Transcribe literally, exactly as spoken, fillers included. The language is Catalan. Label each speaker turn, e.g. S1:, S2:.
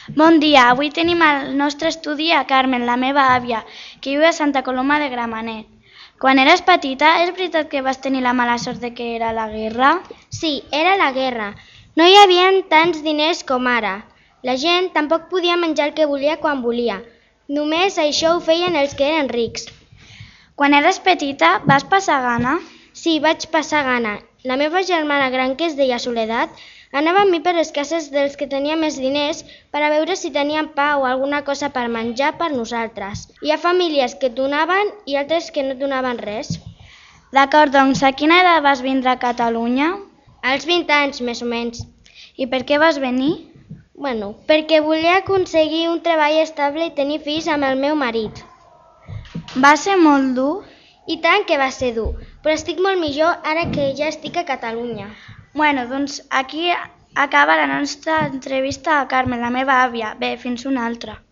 S1: Bon dia, avui tenim al nostre estudi a Carmen, la meva àvia, que viu a Santa Coloma de Gramenet. Quan eres petita, és veritat que vas tenir la mala sort de que era la guerra?
S2: Sí, era la guerra. No hi havia tants diners com ara. La gent tampoc podia menjar el que volia quan volia. Només això ho feien els que eren rics.
S1: Quan eres petita, vas passar gana?
S2: Sí, vaig passar gana. La meva germana gran, que es deia Soledat, anava amb mi per les cases dels que tenien més diners per a veure si tenien pa o alguna cosa per menjar per nosaltres. Hi ha famílies que donaven i altres que no donaven res.
S1: D'acord, doncs a quina edat vas vindre a Catalunya?
S2: Als vint anys, més o menys.
S1: I per què vas venir?
S2: Bueno, perquè volia aconseguir un treball estable i tenir fills amb el meu marit.
S1: Va ser molt dur?
S2: I tant que va ser dur, però estic molt millor ara que ja estic a Catalunya.
S1: Bueno, doncs aquí acaba la nostra entrevista a Carmen, la meva àvia. Bé, fins una altra.